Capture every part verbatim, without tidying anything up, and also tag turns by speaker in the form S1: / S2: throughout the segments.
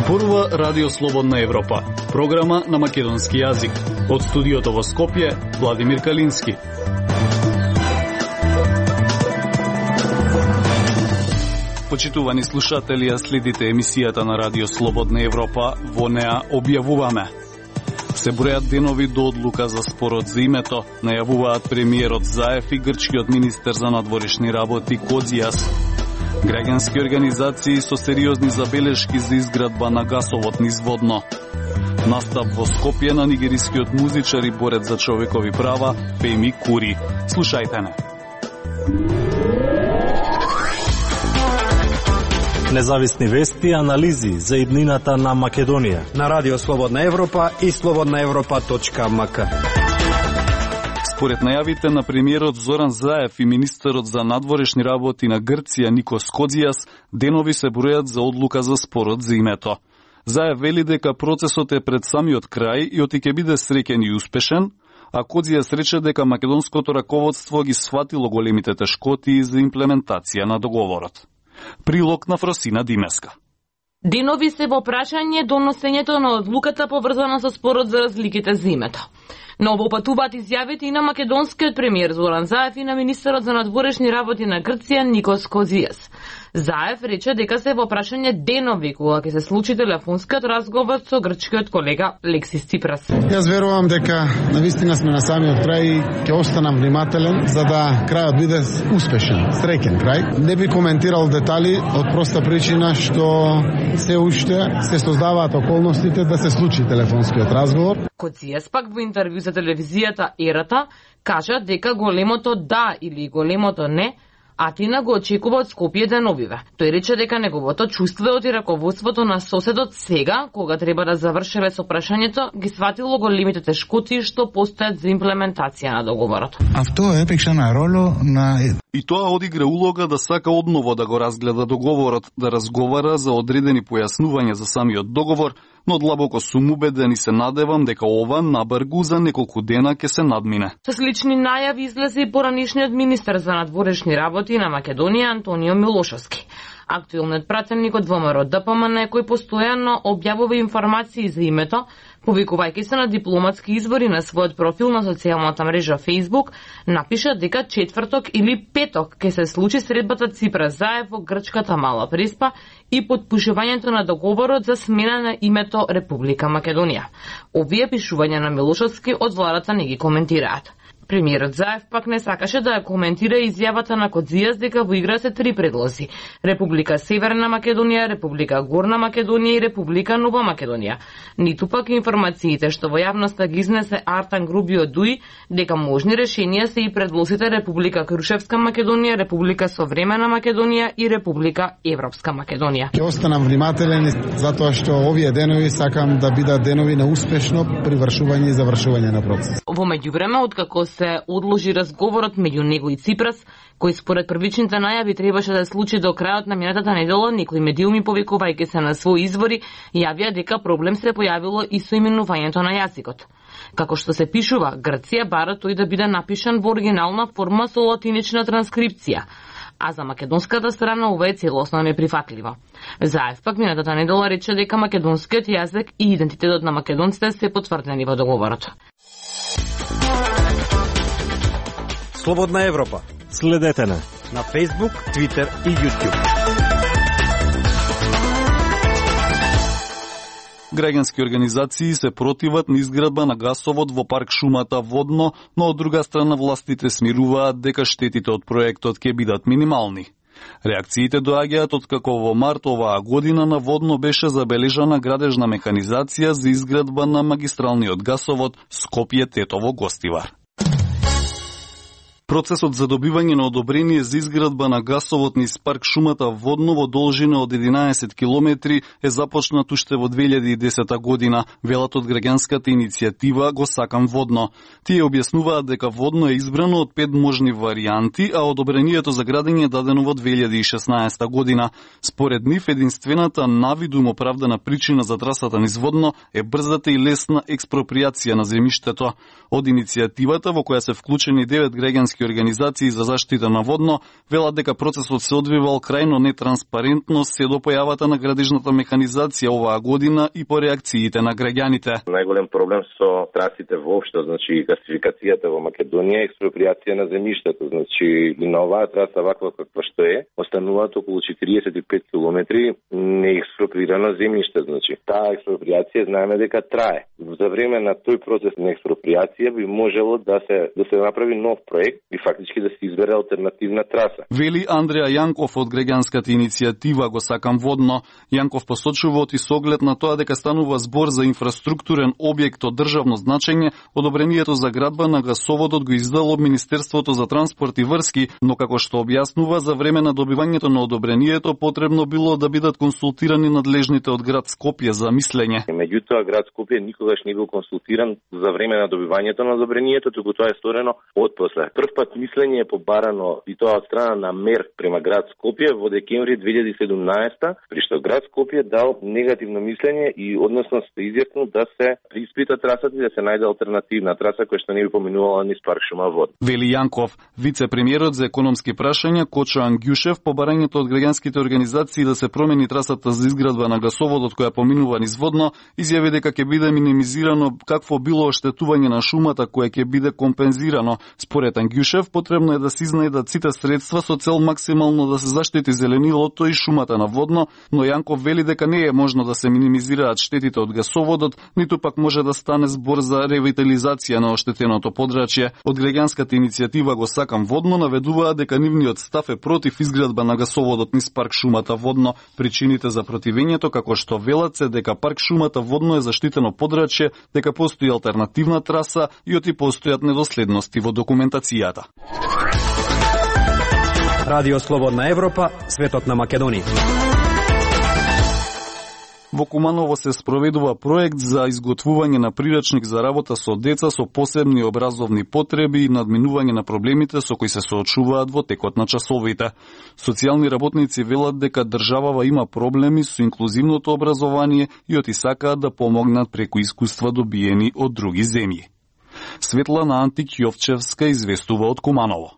S1: Зборува Радио Слободна Европа, програма на македонски јазик. Од студиото во Скопје, Владимир Калински. Почитувани слушатели, следите емисијата на Радио Слободна Европа. Во неа објавуваме: се бројат денови до одлука за спорот за името, најавуваат премиерот Заев и грчкиот министер за надворешни работи Кодзијас. Граѓански организации со сериозни забелешки за изградба на гасовод низ Водно. Настап во Скопје на нигерискиот музичар и борец за човекови права Феми Кури. Слушајте не.
S2: Независни вести и анализи за иднината на Македонија
S3: на Радио Слободна Европа и слободна европа точка ем ка.
S1: Според најавите на премиерот Зоран Заев и министерот за надворешни работи на Грција Никос Кодзијас, денови се бројат за одлука за спорот за името. Заев вели дека процесот е пред самиот крај и оти ќе биде среќен и успешен, а Кодзијас рече дека македонското раководство ги сватило големите тешкоти за имплементација на договорот. Прилог на Фросина Димеска.
S4: Денови се во прашање доносењето на одлуката поврзана со спорот за разликите за името. Но обопатуваат изјавите и на македонскиот премиер Зоран Заев и на министерот за надворешни работи на Грција Никос Кодзијас. Заев рече дека се во прашање денови кога ќе се случи телефонскиот разговор со грчкиот колега Лексис Ципрас.
S5: Јас верувам дека навистина сме на самиот крај и ќе останам внимателен за да крајот биде успешен, среќен крај. Не би коментирал детали од проста причина што се уште се создаваат околностите да се случи телефонскиот разговор.
S4: Кодзијас пак во интервју за телевизијата Ерата кажа дека големото да или големото не Атина го очекува од Скопје деновиве. Тој рече дека неговото чувство и раководството на соседот сега, кога треба да завршеле со прашањето, ги сватило големите тешкоти што постојат за имплементација на договорот.
S6: Авто епикша на роло на
S1: И тоа одигра улога да сака одново да го разгледа договорот, да разговара за одредени појаснувања за самиот договор, но длабоко сум убеден и се надевам дека ова набргу за неколку дена ќе се надмине.
S4: Со слични најави излезе и поранишниот министер за надворешни работи на Македонија Антонио Милошовски. Актуелниот пратеник од ВМРО Д П М Н кој постојано објавува информации за името, повикувајќи се на дипломатски извори на својот профил на социјалната мрежа Facebook, напиша дека четврток или петок ќе се случи средбата Ципрас Заев во грчката Мала Преспа и подпишувањето на договорот за смена на името Република Македонија. Овие пишувања на Милошовски од владата не ги коментираат. Премиерот Заев пак не сакаше да ја коментира изјавата на Кодзијас дека во игра се три предлози: Република Северна Македонија, Република Горна Македонија и Република Нова Македонија. Ниту пак информациите што во јавноста ги изнесе Артан Грубио Дуи дека можни решенија се и предлозите Република Крушевска Македонија, Република Современа Македонија и Република Европска Македонија.
S5: Ќе останам внимателен затоа што овие денови сакам да бидат денови на успешно привршување и завршување на процес.
S4: Во меѓувреме, откако се одложи разговорот меѓу него и Ципрас, кој според првичните најави требаше да се случи до крајот на минатата недела, некои медиуми повикувајќи се на своји извори, јавија дека проблем се појавило и со именувањето на јазикот. Како што се пишува, Грција бара тој да биде напишан во оригинална форма со латинична транскрипција, а за македонската страна ова е целосно неприфатливо. Заев пак минатата недела рече дека македонскиот јазик и идентитетот на македонците се потврдени во договорот.
S3: Слободна Европа.
S2: Следете на
S3: на Facebook, Twitter и YouTube.
S1: Граѓански организации се противат на изградба на гасовод во парк шумата Водно, но од друга страна властите смируваат дека штетите од проектот ќе бидат минимални. Реакциите доаѓаат откако во март оваа година на Водно беше забележана градежна механизација за изградба на магистралниот гасовод Скопје-Тетово-Гостивар. Процесот за добивање на одобрение за изградба на гасовод низ парк шумата Водно во должина од единаесет километри е започнат уште во две илјади и десета година, велат од граѓанската иницијатива Го сакам Водно. Тие објаснуваат дека Водно е избрано од пет можни варијанти, а одобрението за градење е дадено во две илјади и шеснаесета година. Според нив, единствената навидум оправдана причина за трасата низ Водно е брзата и лесна експроприација на земјиштето. Од иницијативата, во која се вклучени девет граѓански граѓански организации за заштита на водно велат дека процесот се одвивал крајно нетранспарентно се до појавата на градежната механизација оваа година и по реакциите на граѓаните.
S7: Најголем проблем со трасите воопшто, значи гасификацијата во Македонија, експроприација на земјиштето, значи и на оваа траса ваква каква што е, остануваат околу четириесет и пет километри неекспроприирано земјиште, значи таа експроприација знаеме дека трае. За време на тој процес на експроприација би можело да се да се направи нов проект и фактички да се избере алтернативна траса.
S1: Вели Андреа Јанков од граѓанската иницијатива Го сакам водно. Јанков посочува оти со оглед на тоа дека станува збор за инфраструктурен објект од државно значење, одобрението за градба на гасоводот го издало Министерството за транспорт и врски, но како што објаснува, за време на добивањето на одобрението потребно било да бидат консултирани надлежните од град Скопје за мислење.
S7: Меѓутоа град Скопје никогаш не бил консултиран за време на добивањето на одобрението, туку тоа е сторено отпосле. Прв пат мислење е побарано и тоа од страна на мер према град Скопје во декември две илјади и седумнаесета, при што град Скопје дал негативно мислење и односно се изјаснил да се преиспита трасата и да се најде алтернативна траса која што не би поминувала низ парк шума вод.
S1: Вели Јанков, вице-премиерот за економски прашања Кочо Ангјушев по барањето од граѓанските организации да се промени трасата за изградба на гасоводот која поминува низ водно, изјави дека ќе биде минимизирано какво било оштетување на шумата кое ќе биде компензирано. Според Ангјушев, потребно е да се изнајдат сите средства со цел максимално да се заштити зеленилото и шумата на водно, но Јанков вели дека не е можно да се минимизираат штетите од гасоводот, ниту пак може да стане збор за ревитализација на оштетеното подрачје. Од граѓанската иницијатива Го сакам водно наведуваат дека нивниот став е против изградба на гасоводот низ парк шумата водно. Причините за противењето, како што велат, се дека парк шумата водно е заштитено подрачје, дека постои алтернативна траса и оти постојат недоследности во документацијата.
S3: Радио Слободна Европа, светот на Македонија.
S1: Во Куманово се спроведува проект за изготвување на прирачник за работа со деца со посебни образовни потреби и надминување на проблемите со кои се соочуваат во текот на часовите. Социјални работници велат дека државава има проблеми со инклузивното образование и оти сакаат да помогнат преку искуства добиени од други земји. Светлана Антик-Јовчевска известува од Куманово.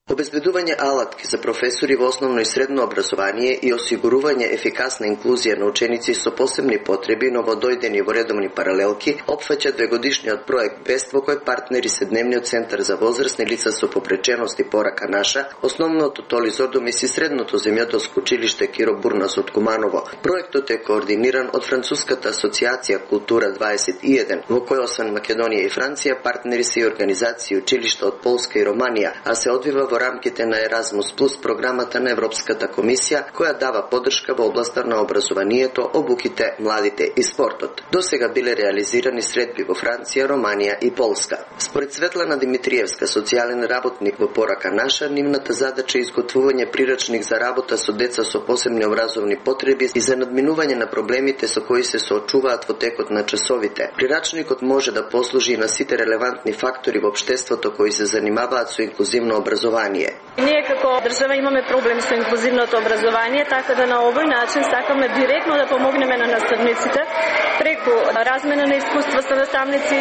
S8: Обезбедување алатки за професори во основно и средно образование и осигурување ефикасна инклузија на ученици со посебни потреби новодојдени во редовни паралелки опфаќа двегодишниот проект БЕСТ во кој партнери се Дневниот центар за возрастни лица со попреченост и порака наша, основното Толи Зордомис и средното земјоделско училиште Киро Бурнас од Куманово. Проектот е координиран од Француската асоциација Култура дваесет и еден, во кој освен Македонија и Франција партнери се и организации и училишта од Полска и Романија, а се одвива во рамките на Еразмус Плюс програмата на Европската комисија, која дава поддршка во областа на образованието, обуките, младите и спортот. До сега биле реализирани средби во Франција, Романија и Полска. Според Светлана Димитриевска, социјален работник во Порака наша, нивната задача е изготвување прирачник за работа со деца со посебни образовни потреби и за надминување на проблемите со кои се соочуваат во текот на часовите. Прирачникот може да послужи и на сите релевантни фактори во општеството кои се занимаваат со инклузивно образование.
S9: Ние како држава имаме проблем со инклузивното образование, така да на овој начин сакаме директно да помогнеме на наставниците преку размена на искуства со наставници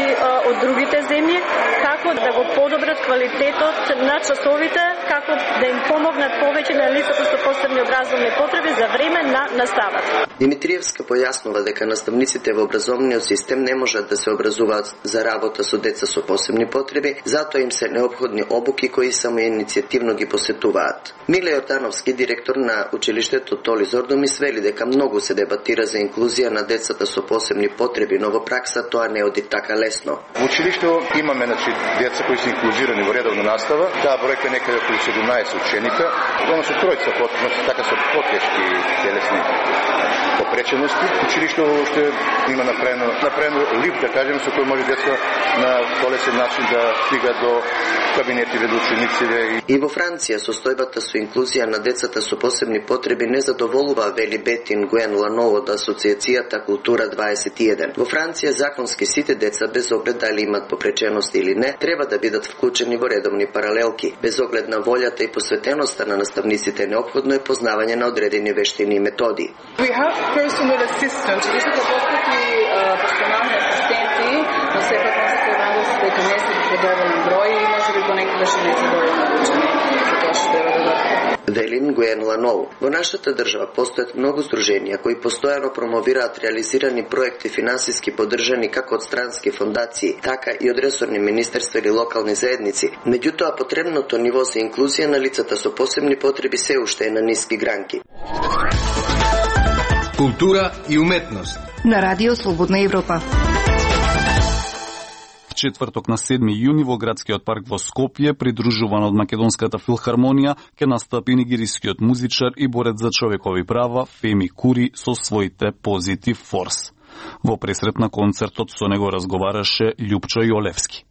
S9: од другите земји, како да го подобрат квалитетот на часовите, како да им помогнат повеќе на лицата со посебни образовни потреби за време на наставата.
S8: Димитриевска појаснува дека наставниците во образовниот систем не можат да се образуваат за работа со деца со посебни потреби, затоа им се неопходни обуки кои само иницијативно ги посетуваат. Миле Јордановски, директор на училиштето Толи Зордомис, вели дека многу се дебатира за инклузија на децата со посебни потреби, но во пракса тоа не оди така лесно.
S10: Во училишто имаме значи деца кои се инклузирани во редовна настава, таа бројка некаде околу седумнаесет ученика, односно тројца потреби, така со потешки телесни попречености. Училишто што има направено, направено лифт, да кажеме, со кој може деца на полесен начин да стига до кабинети за учениците.
S8: И во Франција состојбата со инклузија на децата со посебни потреби не задоволува, вели Бетин Гуен Ланово од Асоциацијата Култура дваесет и еден. Во Франција законски сите деца, без оглед дали имат попреченост или не, треба да бидат вклучени во редовни паралелки. Без оглед на волјата и посветеноста на наставниците, неопходно е познавање на одредени вештини и методи.
S11: We have personal assistants. Вие сте постати персонални асистенти, но сепак носите врагост дека не се во доволен број и можеби понекогаш и не се доволно обучени. Тоа што треба да дадат.
S8: Велин Гуен Ланоу. Во нашата држава постојат многу здруженија кои постојано промовираат реализирани проекти финансиски поддржани како од странски фондации, така и од ресорни министерства или локални заедници. Меѓутоа, потребното ниво за инклузија на лицата со посебни потреби се уште е на ниски гранки.
S12: Култура и уметност
S13: на Радио Слободна Европа.
S1: Четврток на седми јуни во градскиот парк во Скопје, придружуван од Македонската филхармонија, ќе настапи нигерискиот музичар и борец за човекови права Феми Кури со своите Позитив Форс. Во пресрет на концертот со него разговараше Љупчо Јолевски.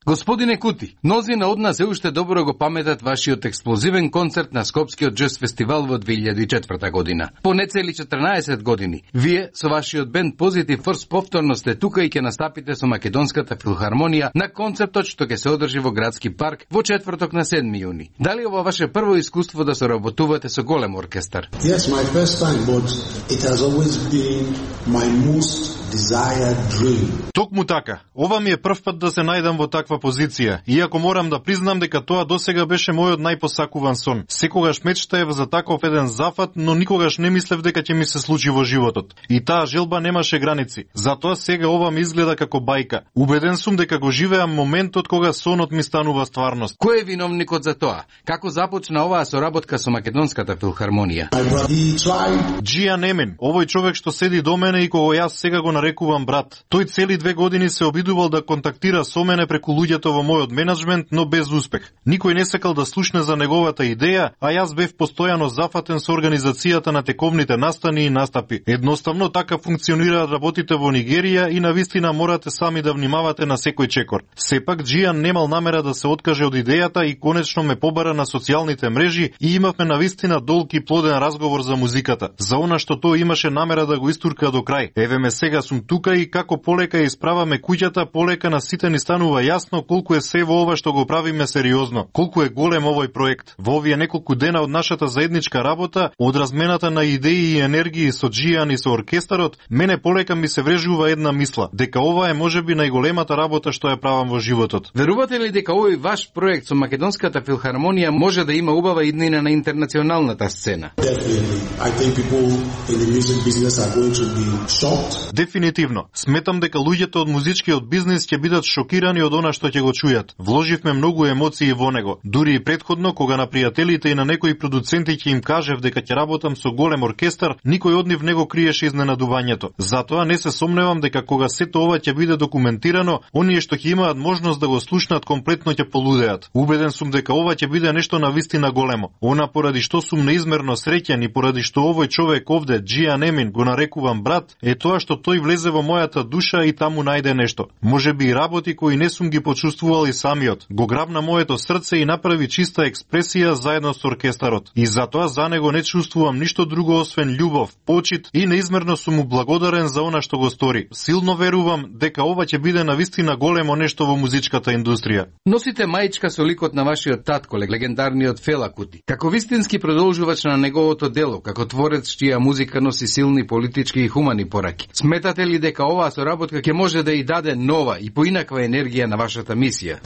S12: Господине Кути, мнозина од нас се уште добро го паметат вашиот експлозивен концерт на Скопскиот џез фестивал во две илјади и четврта година. По нецели четрнаесет години, вие со вашиот бенд Позитив Форс повторно сте тука и ќе настапите со Македонската филхармонија на концертот што ќе се одржи во градски парк во четврток на седми јуни. Дали ова ваше прво искуство да соработувате со голем оркестар?
S14: Yes, my first time, but it has always been my most desired dream.
S15: Токму така, ова ми е прв пат да се најдам во таква позиција, иако морам да признам дека тоа досега беше мојот најпосакуван сон. Секогаш мечтаев за таков еден зафат, но никогаш не мислев дека ќе ми се случи во животот. И таа желба немаше граници. Затоа сега ова ми изгледа како бајка. Убеден сум дека го живеам моментот кога сонот ми станува стварност.
S12: Кој е виновникот за тоа? Како започна оваа соработка со Македонската филхармонија?
S15: Џијан Емин, овој човек што седи до мене и кого јас сега го нарекувам брат. Тој цели две години се обидувал да контактира со мене преку луѓето во мојот менеджмент, но без успех. Никој не сакал да слушне за неговата идеја, а јас бев постојано зафатен со организацијата на тековните настани и настапи. Едноставно така функционираат работите во Нигерија и навистина морате сами да внимавате на секој чекор. Сепак Џијан немал намера да се откаже од идејата и конечно ме побара на социјалните мрежи и имавме навистина долг и плоден разговор за музиката, за она што тој имаше намера да го истурка до крај. Еве ме сега сум тука и како полека исправаме куќата, полека на сите ни станува јасно колку е се во ова што го правиме сериозно, колку е голем овој проект. Во овие неколку дена од нашата заедничка работа, од размената на идеи и енергии со Џијан и со оркестарот, мене полека ми се врежува една мисла, дека ова е можеби најголемата работа што ја правам во животот.
S12: Верувате ли дека овој ваш проект со Македонската филхармонија може да има убава иднина на интернационалната сцена?
S15: Дефинитивно. Сметам дека луѓето од музичкиот бизнис ќе бидат шокирани од она што ќе го чујат. Вложивме многу емоции во него. Дури и претходно, кога на пријателите и на некои продуценти ќе им кажев дека ќе работам со голем оркестар, никој од нив не го криеше изненадувањето. Затоа не се сомневам дека кога сето ова ќе биде документирано, оние што ќе имаат можност да го слушнат комплетно ќе полудеат. Убеден сум дека ова ќе биде нешто навистина големо. Она поради што сум неизмерно среќен и поради што овој човек овде, Џијан Емин, го нарекувам брат, е тоа што тој влезе во мојата душа и таму најде нешто. Можеби и работи кои не сум ги почувствувал и самиот. Го грабна моето срце и направи чиста експресија заедно со оркестарот. И затоа за него не чувствувам ништо друго освен љубов, почит и неизмерно сум му благодарен за она што го стори. Силно верувам дека ова ќе биде навистина големо нешто во музичката индустрија.
S12: Носите маичка со ликот на вашиот татко, легендарниот Фела Кути. Како вистински продолжувач на неговото дело, како творец чија музика носи силни политички и хумани пораки. Сметате ли дека оваа соработка ќе може да и даде нова и поинаква енергија на вашата мисија?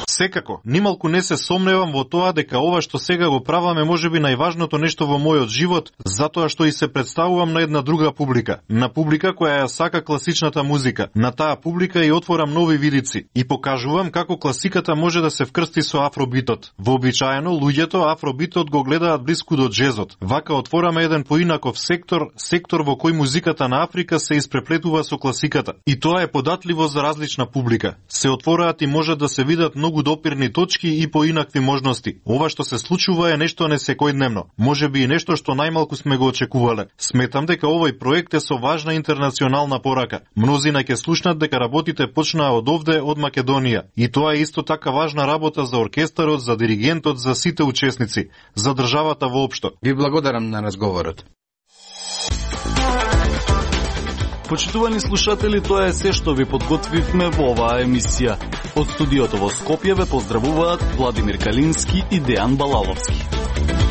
S15: Секако, нималку не се сомневам во тоа дека ова што сега го праваме можеби најважното нешто во мојот живот, затоа што и се представувам на една друга публика, на публика која ја сака класичната музика. На таа публика и отворам нови видици и покажувам како класиката може да се вкрсти со афробитот. Вообичаено луѓето афробитот го гледаат блиску до џезот. Вака отвораме еден поинаков сектор, сектор во кој музиката на Африка се испреплетува со класиката. И тоа е податливо за различна публика. Се отвораат и можат да се видат многу допирни точки и поинакви можности. Ова што се случува е нешто несекојдневно. Можеби и нешто што најмалку сме го очекувале. Сметам дека овој проект е со важна интернационална порака. Мнозина ќе слушнат дека работите почнаа од овде, од Македонија. И тоа е исто така важна работа за оркестарот, за диригентот, за сите учесници, за државата воопшто.
S12: Ви благодарам на разговорот.
S1: Почитувани слушатели, тоа е се што ви подготвивме во оваа емисија. Од студиото во Скопје ве поздравуваат Владимир Калински и Дејан Балаловски.